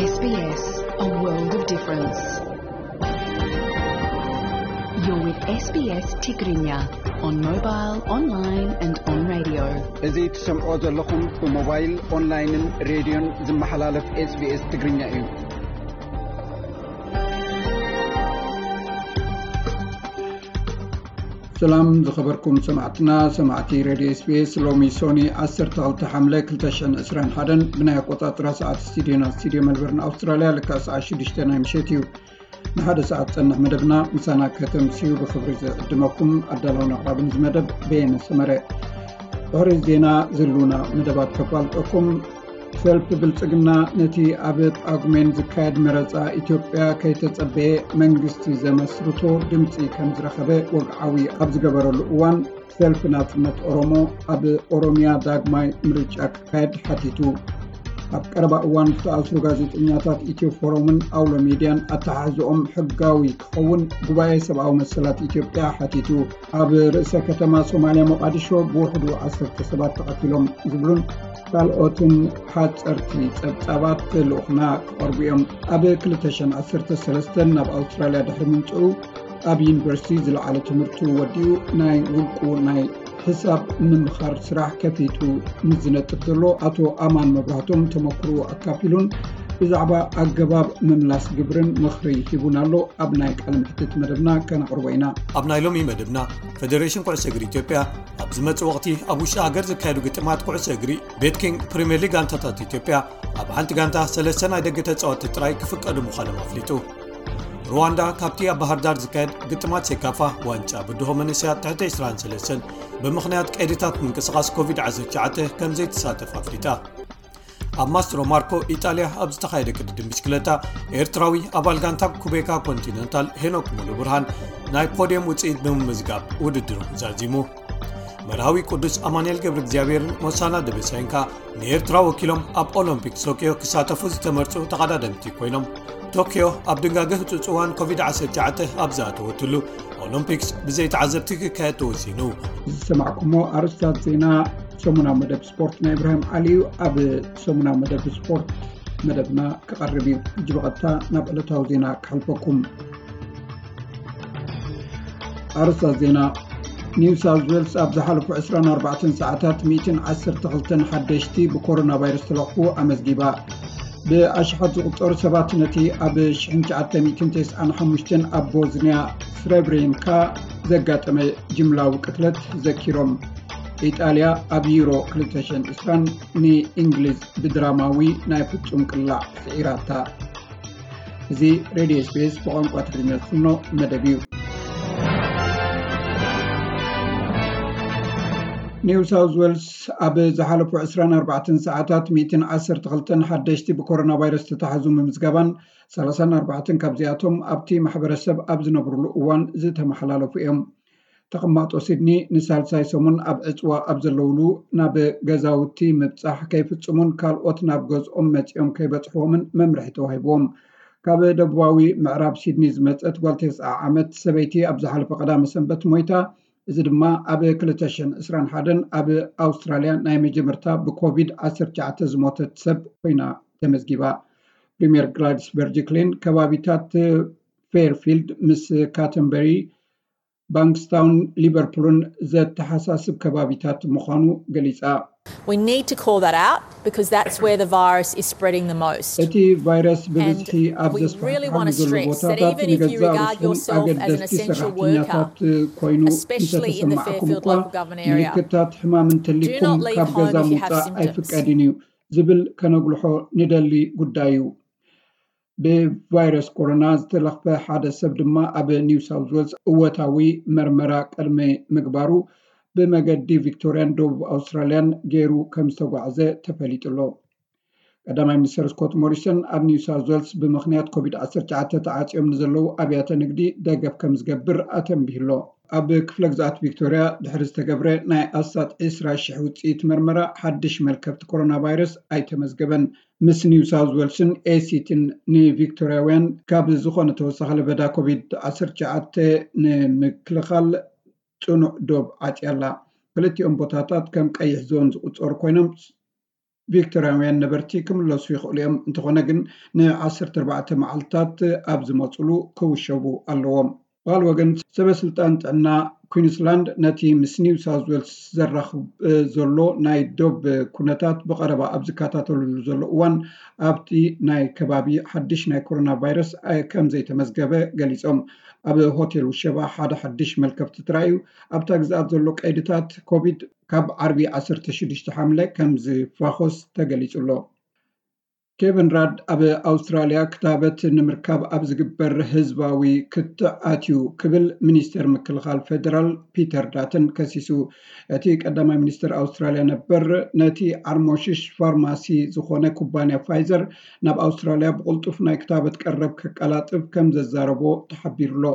S B S, a world of difference. You're with S B S Tigrinya on mobile, online and on radio. እዚ ትሰምዖ ዘለኹም ብሞባይል፣ ኦንላይንን ሬድዮን ዝመሓላለፍ S B S ትግርኛ እዩ። ሰላም ዝኸበርኩም ሰማዕትና፣ ሰማዕቲ ሬድዮ S B S። ሎሚ ሶኒ ዓሰርተ ክልተ ሓምለ ክልተ ሽሕን ዕስራን ሓደን ብናይ ኣቆጻጽራ ሰዓት ስቱዲዮና፣ ስቱዲዮ መልበርን ኣውስትራልያ፣ ልክዕ ሰዓት ሽዱሽተ ናይ ምሸት እዩ። ንሓደ ሰዓት ጸንሕ መደብና ምሳና ከተምስዩ ብኽብሪ ዝዕድመኩም ኣዳላውን ኣቕራብን እዚ መደብ በየነ ሰመረ። ድሕሪ ዜና ዝህልውና መደባት ከፋልጠኩም። ሰልፊ ብልጽግና ነቲ ኣብ ጳጉሜን ዝካየድ መረጻ ኢትዮጵያ ከይተጸበየ መንግስቲ ዘመስርቶ ድምጺ ከም ዝረኸበ ወግዓዊ ኣብ ዝገበረሉ እዋን፣ ሰልፊ ናጽነት ኦሮሞ ኣብ ኦሮሚያ ዳግማይ ምርጫ ክካየድ ሓቲቱ። ኣብ ቀረባ እዋን ዝተኣስሩ ጋዜጠኛታት ኢትዮ ፎረምን ኣውሎ ሚድያን ኣተሓሕዝኦም ሕጋዊ ክኸውን ጉባኤ ሰብኣዊ መሰላት ኢትዮጵያ ሓቲቱ። ኣብ ርእሰ ከተማ ሶማልያ ሞቃዲሾ ብውሕዱ ዓሰርተ ሰባት ተቐቲሎም ዝብሉን ካልኦትን ሓጸርቲ ጸብጻባት ልኡኽና ክቐርቡ እዮም። ኣብ ክልተ ሽሕን ዓሰርተ ሰለስተን ናብ ኣውስትራልያ ድሕሪ ምምጽኡ ኣብ ዩኒቨርሲቲ ዝለዓለ ትምህርቱ ወዲኡ ናይ ውልቁ ናይ ሕሳብ ምምኻር ስራሕ ከፊቱ ምስ ዝነጥፍ ዘሎ ኣቶ ኣማን መብራህቶም ተመክሮ ኣካፊሉን ብዛዕባ ኣገባብ ምምላስ ግብርን ምኽሪ ሂቡን ኣሎ። ኣብ ናይ ቃለ መሕትት መደብና ከነቕርቦ ኢና። ኣብ ናይ ሎሚ መደብና፣ ፌደሬሽን ኩዕሶ እግሪ ኢትዮጵያ ኣብ ዝመጽእ ወቕቲ ኣብ ውሽጢ ሃገር ዝካየዱ ግጥማት ኩዕሶ እግሪ ቤት ኪንግ ፕሪምየር ሊግ ጋንታታት ኢትዮጵያ ኣብ ሓንቲ ጋንታ ሰለስተ ናይ ደገ ተጻወትቲ ጥራይ ክፍቀዱ ምዃኖም ኣፍሊጡ። ሩዋንዳ ካብቲ ኣብ ባህር ዳር ዝካየድ ግጥማት ሴካፋ ዋንጫ ብድሆ መንእሰያት ትሕቲ ዕስራን ሰለስተን ብምኽንያት ቀይድታት ምንቅስቓስ ኮቪድ ዓሰርተ ትሽዓተ ከም ዘይትሳተፍ ኣፍሊጣ። ኣብ ማስትሮ ማርኮ ኢጣልያ ኣብ ዝተኻየደ ቅድድም ብሽክለታ፣ ኤርትራዊ ኣባል ጋንታ ኩቤካ ኮንቲነንታል ሄኖክ ሙሉ ብርሃን ናይ ፖድየም ውጽኢት ብምምዝጋብ ውድድሩ ዛዚሙ። መርሃዊ ቅዱስ ኣማኑኤል ገብረ እግዚኣብሔርን ሞሳና ደበሳይን ከኣ ንኤርትራ ወኪሎም ኣብ ኦሎምፒክ ቶክዮ ክሳተፉ ዝተመርጹ ተቐዳደምቲ ኮይኖም፣ ቶክዮ ኣብ ድንጋገ ህጹጽ እዋን ኮቪድ ዓሰርተ ትሽዓተ ኣብ ዝኣተወትሉ፣ ኦሎምፒክስ ብዘይ ተዓዘብቲ ክካየድ ተወሲኑ። ዝሰማዕኩሞ ኣርእስታት ዜና ሰሙናዊ መደብ ስፖርት ናይ ኢብራሂም ዓሊ እዩ። ኣብ ሰሙናዊ መደብ ስፖርት መደብና ክቐርብ እዩ። ሕጂ ብቐጥታ ናብ ዕለታዊ ዜና ክሓልፈኩም። ኣርእስታት ዜና። ኒው ሳውዝ ዌልስ ኣብ ዝሓለፉ ዕስራን ኣርባዕተን ሰዓታት ሚእትን ዓሰርተ ክልተን ሓደሽቲ ብኮሮና ቫይረስ ተለኽፉ ኣመዝጊባ። ብኣሽሓት ዝቑጸሩ ሰባት ነቲ ኣብ ሽሕን ትሽዓተ ሚእትን ተስዓን ሓሙሽተን ኣብ ቦዝንያ ስረብሬንካ ዘጋጠመ ጅምላዊ ቅትለት ዘኪሮም። ኢጣልያ ኣብ ዩሮ ክልተ ሽሕን ዕስራን ንእንግሊዝ ብድራማዊ ናይ ፍጹም ቅላዕ ስዒራታ። እዚ ሬድዮ S B S ብቋንቋ ትግርኛ ዝፍኖ መደብ እዩ። ኒው ሳውዝ ዌልስ ኣብ ዝሓለፉ ዕስራን ኣርባዕተን ሰዓታት ሚእትን ዓሰርተ ክልተን ሓደሽቲ ብኮሮና ቫይረስ ዝተታሕዙ ምምዝጋባን፣ ሰላሳን ኣርባዕተን ካብዚኣቶም ኣብቲ ማሕበረሰብ ኣብ ዝነብሩሉ እዋን ዝተመሓላለፉ እዮም። ተቐማጦ ሲድኒ ንሳልሳይ ሰሙን ኣብ ዕጽዋ ኣብ ዘለውሉ ናብ ገዛውቲ ምብጻሕ ከይፍጽሙን ካልኦት ናብ ገዝኦም መጺኦም ከይበጽሕዎምን መምርሒ ተዋሂብዎም። ካብ ደቡባዊ ምዕራብ ሲድኒ ዝመጸት ጓል ተስዓ ዓመት ሰበይቲ ኣብ ዝሓለፈ ቀዳመ ሰንበት ሞይታ። እዚ ድማ ኣብ ክልተ ሽሕን ዕስራን ሓደን ኣብ ኣውስትራልያ ናይ መጀመርታ ብኮቪድ ዓሰርተ ትሽዓተ ዝሞተት ሰብ ኮይና ተመዝጊባ። ፕሪምየር ግላድስ በርጅክሊን ከባቢታት ፌርፊልድ ምስ ካተንበሪ፣ ባንክስታውን ሊቨርፑልን ዘተሓሳስብ ከባቢታት ምዃኑ ገሊጻ። We need to call that out because that's where the virus is spreading the most. እቲ ቫይረስ ብብዝሒ ኣብ ዘስፋሕፍሓሉ ዘሎ ቦታታት ንገዛእ ርእስኹም ኣገደስቲ ሰራሕተኛታት ኮይኑ እንተተሰማዕኩም እኳ፣ ምልክታት ሕማም እንተሊኩም ካብ ገዛ ምውጻእ ኣይፍቀድን እዩ ዝብል ከነጉልሖ ንደሊ ጉዳይ እዩ። ብቫይረስ ኮሮና ዝተለኽፈ ሓደ ሰብ ድማ ኣብ ኒው ሳውዝ ዌልስ እወታዊ መርመራ ቅድሚ ምግባሩ ብመገዲ ቪክቶርያን ደቡብ ኣውስትራልያን ገይሩ ከም ዝተጓዕዘ ተፈሊጡ ኣሎ። ቀዳማይ ሚኒስትር ስኮት ሞሪሰን ኣብ ኒው ሳውዝ ዌልስ ብምኽንያት ኮቪድ ዓሰርተ ትሽዓተ ተዓጽዮም ንዘለዉ ኣብያተ ንግዲ ደገፍ ከም ዝገብር ኣተንቢሁ ኣሎ። ኣብ ክፍለ ግዝኣት ቪክቶርያ ድሕሪ ዝተገብረ ናይ ኣስታት ዕስራ ሽሕ ውጽኢት መርመራ ሓድሽ መልከፍቲ ኮሮና ቫይረስ ኣይተመዝገበን። ምስ ኒው ሳውዝ ዌልስን ኤሲቲን ንቪክቶርያውያን ካብ ዝኾነ ተወሳኺ ለበዳ ኮቪድ ዓሰርተ ትሽዓተ ንምክልኻል ጽኑዕ ዶብ ዓጽያ ኣላ። ክልቲኦም ቦታታት ከም ቀይሕ ዞን ዝቑጸሩ ኮይኖም ቪክቶርያውያን ነበርቲ ክምለሱ ይኽእሉ እዮም። እንተኾነ ግን ን14 መዓልታት ኣብ ዝመፅሉ ክውሸቡ ኣለዎም። ብኻልእ ወገን ሰበ ስልጣን ጥዕና ኩንስላንድ ነቲ ምስ ኒው ሳውዝ ዌልስ ዘራኽብ ዘሎ ናይ ዶብ ኩነታት ብቐረባ ኣብ ዝከታተልሉ ዘሎ እዋን ኣብቲ ናይ ከባቢ ሓድሽ ናይ ኮሮና ቫይረስ ከም ዘይተመዝገበ ገሊጾም። ኣብ ሆቴል ውሸባ ሓደ ሓድሽ መልከፍቲ ተራእዩ። ኣብታ ግዝኣት ዘሎ ቀይድታት ኮቪድ ካብ ዓርቢ 16 ሓምለ ከም ዝፋኾስ ተገሊጹ ኣሎ። ኬቨን ራድ ኣብ ኣውስትራልያ ክታበት ንምርካብ ኣብ ዝግበር ህዝባዊ ክትዕ ኣትዩ ክብል ሚኒስተር ምክልኻል ፌደራል ፒተር ዳተን ከሲሱ። እቲ ቀዳማይ ሚኒስተር ኣውስትራልያ ነበር ነቲ ዓርሞሽሽ ፋርማሲ ዝኾነ ኩባንያ ፋይዘር ናብ ኣውስትራልያ ብቕልጡፍ ናይ ክታበት ቀረብ ከቀላጥፍ ከም ዘዛረቦ ተሓቢሩ ኣሎ።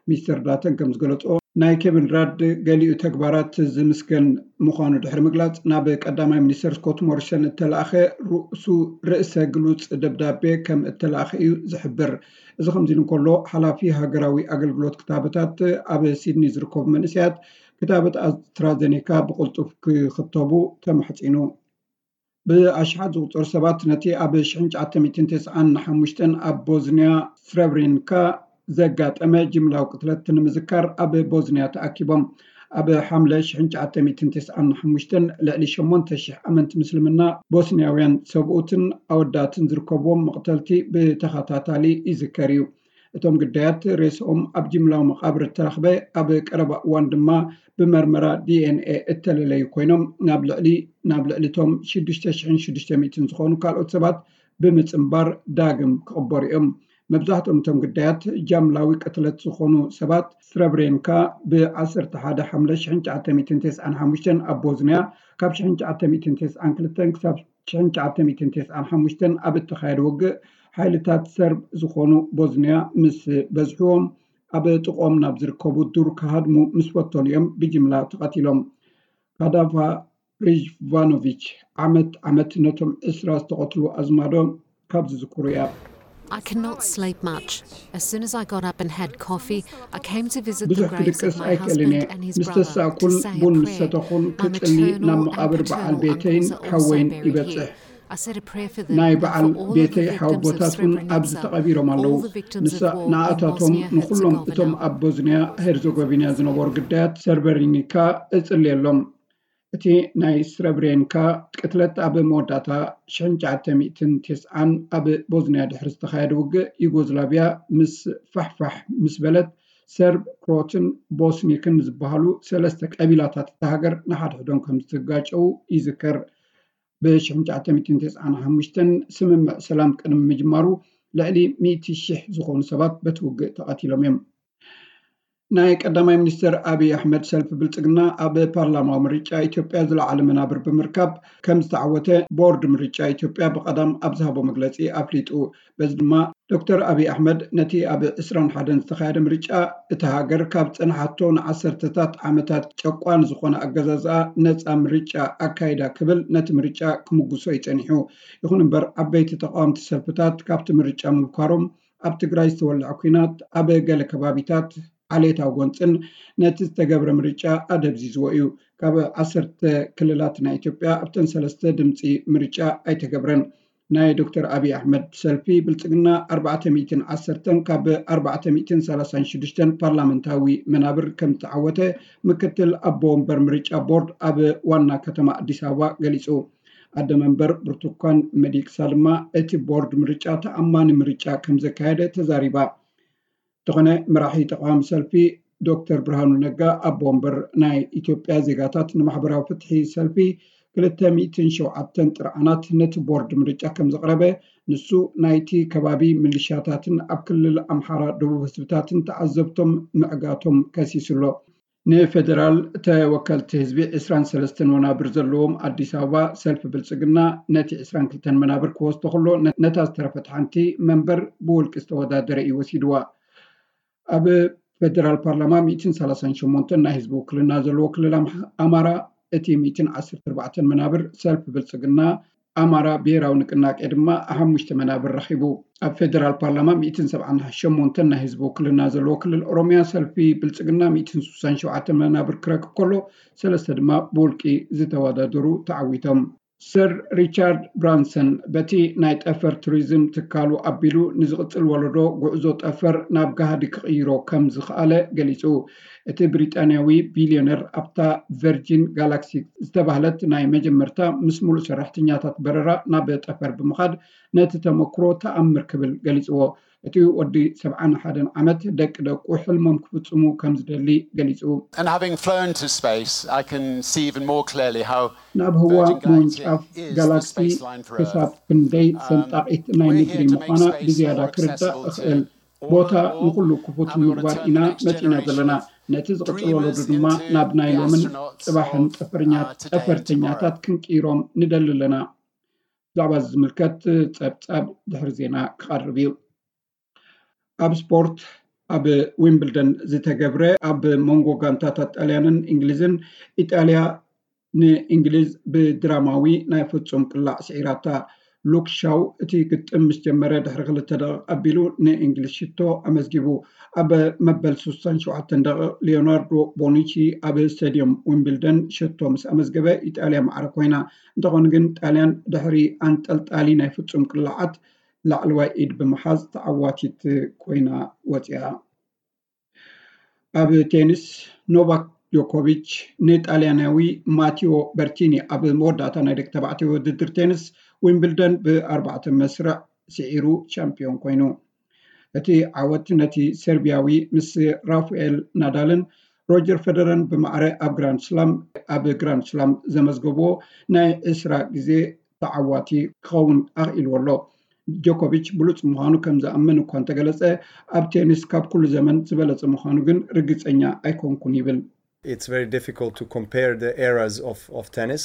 ሚስተር ዳተን ከም ዝገለጾ ናይ ኬቨን ራድ ገሊኡ ተግባራት ዝምስገን ምዃኑ ድሕሪ ምግላጽ ናብ ቀዳማይ ሚኒስተር ስኮት ሞሪሰን እተላእኸ ርእሱ ርእሰ ግሉጽ ደብዳቤ ከም እተላእኸ እዩ ዝሕብር። እዚ ከምዚ ኢሉ እንከሎ ሓላፊ ሃገራዊ ኣገልግሎት ክታበታት ኣብ ሲድኒ ዝርከቡ መንእሰያት ክታበት ኣስትራዘኔካ ብቕልጡፍ ክኽተቡ ተማሕጺኑ። ብኣሽሓት ዝቑጸሩ ሰባት ነቲ ኣብ 1995 ኣብ ቦዝንያ ስረብሬንካ ዘጋጠመ ጅምላዊ ቅትለት ንምዝካር ኣብ ቦዝንያ ተኣኪቦም። ኣብ ሓምለ 1995 ልዕሊ 8,000 ኣመንቲ ምስልምና ቦስንያውያን ሰብኡትን ኣወዳትን ዝርከብዎም መቕተልቲ ብተኸታታሊ ይዝከር እዩ። እቶም ግዳያት ሬስኦም ኣብ ጅምላዊ መቓብር እተረኽበ፣ ኣብ ቀረባ እዋን ድማ ብመርመራ ዲ ኤን ኤ እተለለዩ ኮይኖም ናብ ልዕሊ ናብ ልዕሊ እቶም 6,600 ዝኾኑ ካልኦት ሰባት ብምጽንባር ዳግም ክቕበሩ እዮም። መብዛሕትኦም እቶም ግዳያት ጃምላዊ ቅትለት ዝኾኑ ሰባት ስረብሬንካ ብ11 ሓምለ 1995 ኣብ ቦዝንያ ካብ 1992 ክሳብ 1995 ኣብ እተኻየደ ውግእ ሓይልታት ሰርብ ዝኾኑ ቦዝንያ ምስ በዝሕዎም ኣብ ጥቕኦም ናብ ዝርከቡ ዱር ክሃድሙ ምስ ፈተኑ እዮም ብጅምላ ተቐቲሎም። ካዳፋ ሪጅቫኖቪች ዓመት ዓመት ነቶም ዕስራ ዝተቐትሉ ኣዝማዶ ካብ ዝዝክሩ እያ። I cannot sleep much. As soon as I got up and had coffee, I came to visit the ብዙሕ graves of ክድቅስ my ኣይክእልን husband እየ። and his ምስ brother to ተሳእኩን say a ቡን ምስ prayer. ሰተኹን My ክጽሊ ናብ maternal and መቓብር በዓል paternal ቤተይን uncles are also ሓወይን buried ይበጽሕ። Here. I said a prayer for them ናይ and በዓል for all of the ቤተይ victims of ሓወቦታት እውን ኣብዚ Srebrenica. ተቐቢሮም ኣለዉ። All the victims ንሳ of war in ንኣታቶም Bosnia ንኹሎም እቶም Herzegovina. ኣብ ቦዝንያ ሄርዘጎቪና ዝነበሩ ግዳያት ሰርበሪኒካ እጽልየሎም። እቲ ናይ ስረብሬንካ ቅትለት ኣብ መወዳእታ 1990 ኣብ ቦዝንያ ድሕሪ ዝተኻየደ ውግእ ዩጎዝላቪያ ምስ ፋሕፋሕ ምስ በለት ሰርብ፣ ክሮትን ቦስኒክን ዝበሃሉ ሰለስተ ቀቢላታት እታ ሃገር ንሓድሕዶም ከም ዝተጋጨዉ ይዝከር። ብ1995 ስምምዕ ሰላም ቅድሚ ምጅማሩ ልዕሊ 100,000 ዝኾኑ ሰባት በቲ ውግእ ተቐቲሎም እዮም። ናይ ቀዳማይ ሚኒስትር ኣብይ ኣሕመድ ሰልፊ ብልጽግና ኣብ ፓርላማዊ ምርጫ ኢትዮጵያ ዝለዓለ መናብር ብምርካብ ከም ዝተዓወተ ቦርድ ምርጫ ኢትዮጵያ ብቐዳም ኣብ ዝሃቦ መግለጺ ኣፍሊጡ። በዚ ድማ ዶክተር ኣብይ ኣሕመድ ነቲ ኣብ 21 ዝተኻየደ ምርጫ እታ ሃገር ካብ ጸንሓቶ ንዓሰርተታት ዓመታት ጨቋን ዝኾነ ኣገዛዝኣ ነጻ ምርጫ ኣካይዳ ክብል ነቲ ምርጫ ክምጉሶ ይጸኒሑ። ይኹን እምበር ዓበይቲ ተቃወምቲ ሰልፍታት ካብቲ ምርጫ ምብኳሮም ኣብ ትግራይ ዝተወልዐ ኲናት ኣብ ገለ ከባቢታት ዓሌታዊ ጎንፅን ነቲ ዝተገብረ ምርጫ ኣደብዚዝዎ እዩ። ካብ ዓሰርተ ክልላት ናይ ኢትዮጵያ ኣብተን ሰለስተ ድምፂ ምርጫ ኣይተገብረን። ናይ ዶክተር ኣብይ ኣሕመድ ሰልፊ ብልፅግና ኣርባዕተ ሚእትን ዓሰርተን ካብ ኣርባዕተ ሚእትን ሰላሳን ሽዱሽተን ፓርላመንታዊ መናብር ከም ዝተዓወተ ምክትል ኣቦ ወንበር ምርጫ ቦርድ ኣብ ዋና ከተማ ኣዲስ ኣበባ ገሊፁ። ኣደ መንበር ብርቱኳን መዲቅሳ ድማ እቲ ቦርድ ምርጫ ተኣማኒ ምርጫ ከም ዘካየደ ተዛሪባ። እንተኾነ መራሒ ተቃዋሚ ሰልፊ ዶክተር ብርሃኑ ነጋ ኣቦ ወንበር ናይ ኢትዮጵያ ዜጋታት ንማሕበራዊ ፍትሒ ሰልፊ ክልተ ሚእትን ሸውዓተን ጥርዓናት ነቲ ቦርድ ምርጫ ከም ዘቕረበ ንሱ ናይቲ ከባቢ ምልሻታትን ኣብ ክልል ኣምሓራ ደቡብ ህዝብታትን ተዓዘብቶም ምዕጋቶም ከሲሱ ኣሎ። ንፌደራል ተወከልቲ ህዝቢ ዕስራን ሰለስተን ወናብር ዘለዎም ኣዲስ ኣበባ ሰልፊ ብልፅግና ነቲ ዕስራን ክልተን መናብር ክወስዶ ከሎ ነታ ዝተረፈት ሓንቲ መንበር ብውልቂ ዝተወዳደረ እዩ ወሲድዋ። ኣብ ፌደራል ፓርላማ ሚእትን ሰላሳን ሸሞንተን ናይ ህዝቢ ውክልና ዘለዎ ክልል ኣምሓ- ኣማራ እቲ ሚእትን ዓሰርተ ኣርባዕተን መናብር ሰልፊ ብልፅግና ኣማራ ብሄራዊ ንቅናቄ ድማ ሓሙሽተ መናብር ረኺቡ። ኣብ ፌደራል ፓርላማ ሚእትን ሰብዓን ሸሞንተን ናይ ህዝቢ ውክልና ዘለዎ ክልል ኦሮሚያ ሰልፊ ብልፅግና ሚእትን ስሳን ሸውዓተን መናብር ክረክብ ከሎ ሰለስተ ድማ ብውልቂ ዝተወዳደሩ ተዓዊቶም። ሰር ሪቻርድ ብራንሰን በቲ ናይ ጠፈር ቱሪዝም ትካሉ ኣቢሉ ንዝቕጽል ወለዶ ጉዕዞ ጠፈር ናብ ጋህዲ ክቕይሮ ከም ዝኸኣለ ገሊጹ። እቲ ብሪጣንያዊ ቢልዮነር ኣብታ ቨርጂን ጋላክሲ ዝተባህለት ናይ መጀመርታ ምስ ሙሉእ ሰራሕተኛታት በረራ ናብ ጠፈር ብምኻድ ነቲ ተመክሮ ተኣምር ክብል ገሊጽዎ። እቲ ወዲ ሰብዓን ሓደን ዓመት ደቂ ደቁ ሕልሞም ክፍጽሙ ከም ዝደሊ ገሊጹ። And having flown to space, I can see even more clearly how ናብ ህዋ Virgin Galactic ምውንጫፍ is the ጋላክሲ space line for Earth. ክሳብ ክንደይ ሰንጣቂት ናይ We're ምድሪ here to make ምዃና space ብዝያዳ more ክርዳእ accessible እኽእል። to all ቦታ the world, ንኹሉ ክፉት and we want to ንምግባር turn ኢና the next መጺና ዘለና። generation ነቲ ዝቕጽል dreamers ወለዶ ድማ into ናብ ናይ the ሎምን astronauts ጽባሕን of, ጠፈርኛ- uh, today and ጠፈርተኛታት tomorrow. ክንቅይሮም ንደሊ ኣለና። ብዛዕባ እዚ ዝምልከት ጸብጻብ ድሕሪ ዜና ክቐርብ እዩ። ኣብ ስፖርት፣ ኣብ ዊምብልደን ዝተገብረ ኣብ መንጎ ጋንታታት ጣልያንን እንግሊዝን፣ ኢጣልያ ንእንግሊዝ ብድራማዊ ናይ ፍጹም ቅላዕ ስዒራታ። ሉክ ሻው እቲ ግጥም ምስ ጀመረ ድሕሪ ክልተ ደቂቕ ኣቢሉ ንእንግሊዝ ሽቶ ኣመዝጊቡ። ኣብ መበል ስሳን ሸውዓተን ደቂቕ ሊዮናርዶ ቦኑቺ ኣብ ስታድዮም ዊምብልደን ሽቶ ምስ ኣመዝገበ ኢጣልያ ማዕረ ኮይና። እንተኾነ ግን ጣልያን ድሕሪ ኣንጠልጣሊ ናይ ፍጹም ቅላዓት ላዕለዋይ ኢድ ብምሓዝ ተዓዋቲት ኮይና ወፂኣ። ኣብ ቴኒስ ኖቫክ ጆኮቪች ንጣልያናዊ ማቲዮ በርቲኒ ኣብ መወዳእታ ናይ ደቂ ተባዕትዮ ውድድር ቴኒስ ዊምብልደን ብኣርባዕተ መስርዕ ስዒሩ ቻምፒዮን ኮይኑ። እቲ ዓወት ነቲ ሰርቢያዊ ምስ ራፋኤል ናዳልን ሮጀር ፈደረን ብማዕረ ኣብ ግራንድ ስላም ኣብ ግራንድ ስላም ዘመዝገብዎ ናይ ዕስራ ግዜ ተዓዋቲ ክኸውን ኣኽኢልዎ ኣሎ። ጆኮቪች ብሉጽ ምዃኑ ከም ዝኣምን እኳ እንተገለጸ፣ ኣብ ቴኒስ ካብ ኩሉ ዘመን ዝበለጸ ምዃኑ ግን ርግጸኛ ኣይኮንኩን ይብል። It's very difficult to compare the eras of, of tennis.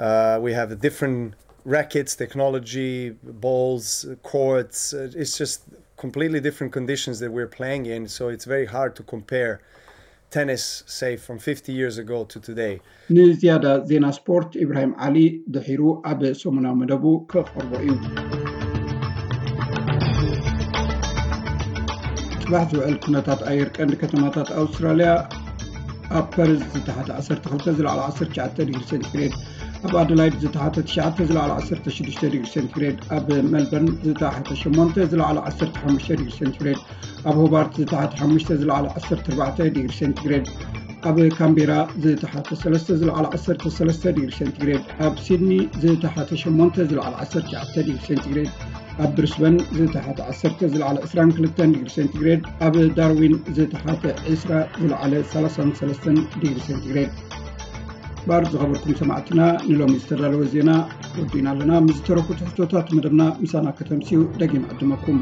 Uh, we have different rackets, technology, balls, courts. Uh, It's just completely different conditions that we're playing in. So it's very hard to compare tennis, say, from fifty years ago to today. ንዝያዳ ዜና ስፖርት ኢብራሂም ዓሊ ድሒሩ ኣብ ሰሙናዊ መደቡ ከቕርቦ እዩ። ጽባሕ ዝውዕል ኩነታት ኣየር ቀንዲ ከተማታት ኣውስትራልያ፣ ኣብ ፐርዝ ዝተሓተ ዓሰርተ ክልተ ዝለዓለ ዓሰርተ ትሽዓተ ዲግሪ ሴንቲግሬድ፣ ኣብ ኣደላይድ ዝተሓተ ትሽዓተ ዝለዓለ ዓሰርተ ሽዱሽተ ዲግሪ ሴንቲግሬድ፣ ኣብ ሜልበርን ዝተሓተ ሸሞንተ ዝለዓለ ዓሰርተ ሓሙሽተ ዲግሪ ሴንቲግሬድ፣ ኣብ ሆባርት ዝተሓተ ሓሙሽተ ዝለዓለ ዓሰርተ ኣርባዕተ ዲግሪ ሴንቲግሬድ፣ ኣብ ካምቤራ ዝተሓተ ሰለስተ ዝለዓለ ዓሰርተ ሰለስተ ዲግሪ ሴንቲግሬድ፣ ኣብ ሲድኒ ዝተሓተ ሸሞንተ ዝለዓለ ዓሰርተ ትሽዓተ ዲግሪ ሴንቲግሬድ፣ ኣብ ብሪስበን ዝተሓተ ዓሰርተ ዝለዓለ ዕስራን ክልተን ዲግሪ ሴንቲግሬድ፣ ኣብ ዳርዊን ዝተሓተ ዕስራ ዝለዓለ ሰላሳን ሰለስተን ዲግሪ ሴንቲግሬድ። ባር ዝኸበርኩም ሰማዕትና፣ ንሎሚ ዝተዳለወ ዜና ወዲእና ኣለና። ምስ ዝተረፉ ትሕዝቶታት መደብና ምሳና ከተምስዩ ደጊም ዕድመኩም።